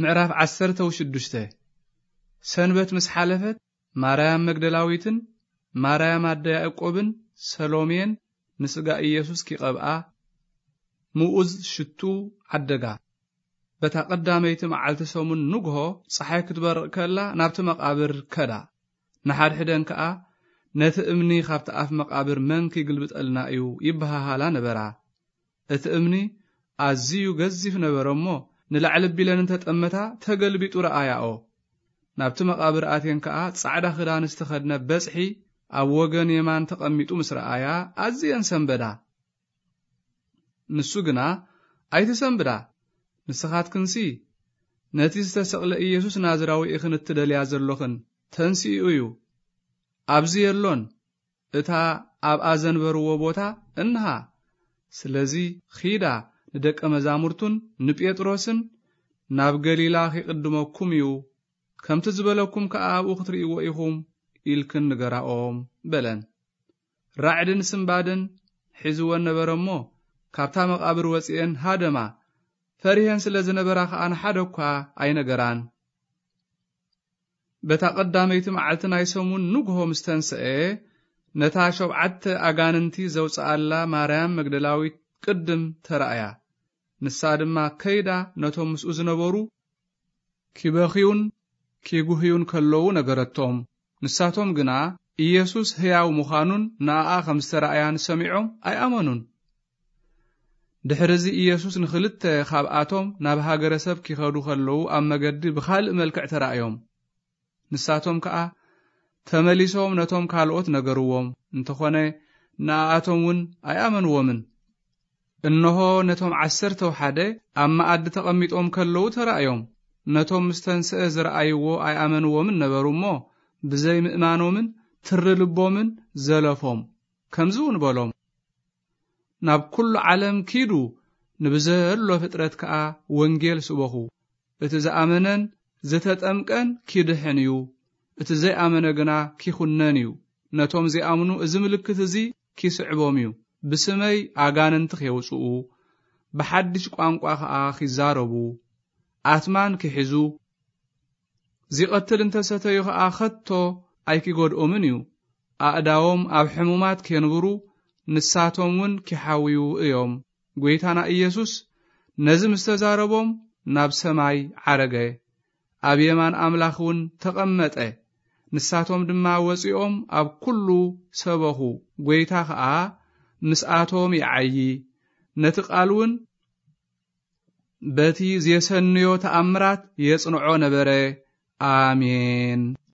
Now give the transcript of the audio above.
ምዕራፍ ዓሰርተ ሽዱሽተ። ሰንበት ምስ ሓለፈት፣ ማርያም መግደላዊትን ማርያም ኣደ ያዕቆብን ሰሎሜን ንስጋ ኢየሱስ ኪቐብኣ ምኡዝ ሽቱ ዓደጋ። በታ ቀዳመይቲ መዓልቲ ሰሙን ንግሆ፣ ጸሓይ ክትበርቕ ከላ ናብቲ መቓብር ከዳ። ንሓድሕደን ከኣ፣ "ነቲ እምኒ ካብቲ ኣፍ መቓብር መን ኪግልብጠልና እዩ?" ይበሃሃላ ነበራ። እቲ እምኒ ኣዝዩ ገዚፍ ነበረ እሞ፣ ንላዕሊ ቢለን እንተጠመታ፣ ተገልቢጡ ረኣያኦ። ናብቲ መቓብር ኣትየን ከኣ፣ ጻዕዳ ክዳን ዝተኸድነ በጽሒ ኣብ ወገን የማን ተቐሚጡ ምስ ረኣያ፣ ኣዝየን ሰንበዳ። ንሱ ግና፣ "ኣይትሰንብዳ፣ ንስኻትክንሲ ነቲ ዝተሰቕለ ኢየሱስ ናዝራዊ ኢኽን እትደልያ ዘሎኽን፣ ተንሲኡ እዩ፣ ኣብዚ የሎን፣ እታ ኣብኣ ዘንበርዎ ቦታ እንሃ። ስለዚ ኺዳ ንደቀ መዛሙርቱን ንጴጥሮስን፣ 'ናብ ገሊላ ኺቕድመኩም እዩ፣ ከምቲ ዝበለኩም ከኣ ኣብኡ ክትርእይዎ ኢኹም' ኢልክን ንገራኦም" በለን። ራዕድን ስንባደን ሒዝወን ነበረ እሞ፣ ካብታ መቓብር ወጺኤን ሃደማ፣ ፈሪሄን ስለ ዝነበራ ኸኣ ንሓደ እኳ ኣይነገራን። በታ ቀዳመይቲ መዓልቲ ናይ ሰሙን ንግሆ ምስ ተንስአ፣ ነታ ሸውዓተ ኣጋንንቲ ዘውጽኣላ ማርያም መግደላዊት ቅድም ተራእያ። ንሳ ድማ ከይዳ ነቶም ምስኡ ዝነበሩ ኪበኽዩን ኪጉህዩን ከለዉ ነገረቶም። ንሳቶም ግና ኢየሱስ ህያው ምዃኑን ንኣኣ ከም ዝተራእያን ሰሚዖም ኣይኣመኑን። ድሕርዚ ኢየሱስ ንኽልተ ካብኣቶም ናብ ሃገረ ሰብ ኪኸዱ ከለዉ ኣብ መገዲ ብኻልእ መልክዕ ተራእዮም። ንሳቶም ከኣ ተመሊሶም ነቶም ካልኦት ነገርዎም፣ እንተኾነ ንኣኣቶም እውን ኣይኣመንዎምን። እንሆ፣ ነቶም ዓሰርተው ሓደ ኣብ መኣዲ ተቐሚጦም ከለዉ ተራእዮም። ነቶም ምስ ተንስአ ዝረኣይዎ ኣይኣመንዎምን ነበሩ እሞ፣ ብዘይ ምእማኖምን ትሪ ልቦምን ዘለፎም። ከምዚ እውን በሎም፣ "ናብ ኩሉ ዓለም ኪዱ፣ ንብዘሎ ፍጥረት ከኣ ወንጌል ስበኹ። እቲ ዝኣመነን ዝተጠምቀን ኪድሕን እዩ፣ እቲ ዘይኣመነ ግና ኪኹነን እዩ። ነቶም ዚኣምኑ እዚ ምልክት እዚ ኪስዕቦም እዩ፣ ብስመይ ኣጋንንቲ ኼውጽኡ፣ ብሓድሽ ቋንቋ ኸኣ ኺዛረቡ፣ ኣትማን ኪሕዙ፣ ዚቐትል እንተ ሰተዩ ኸኣ ኸቶ ኣይኪጎድኦምን እዩ። ኣእዳዎም ኣብ ሕሙማት ኬንብሩ፣ ንሳቶም እውን ኪሓውዩ እዮም።" ጐይታና ኢየሱስ ነዚ ምስ ተዛረቦም፣ ናብ ሰማይ ዓረገ፣ ኣብ የማን ኣምላኽ እውን ተቐመጠ። ንሳቶም ድማ ወጺኦም ኣብ ኩሉ ሰበኹ። ጐይታ ኸኣ ምስኣቶም ይዓዪ፣ ነቲ ቃል እውን በቲ ዜሰንዮ ተኣምራት የጽንዖ ነበረ። ኣሜን።